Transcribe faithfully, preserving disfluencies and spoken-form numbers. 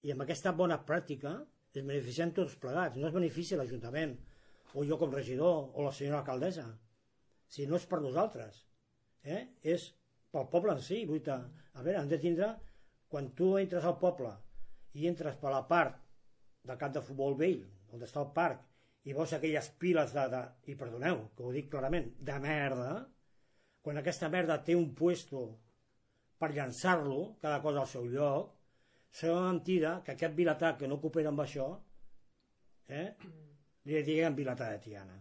I amb aquesta bona pràctica es beneficien tots plegats. No es beneficia l'Ajuntament, o jo com regidor, o la senyora alcaldessa. Si no és per nosaltres, eh? És pel poble en si. Vull dir, a veure, hem de tindre, quan tu entres al poble i entres per la part del camp de futbol vell, on està el parc, i veus aquelles piles de, de i perdoneu, que ho dic clarament, de merda, quan aquesta merda té un puesto per llançar-lo, cada cosa al seu lloc, serà mentida que aquest vilatà que no coopera amb això, eh, li diguem vilatà de Tiana.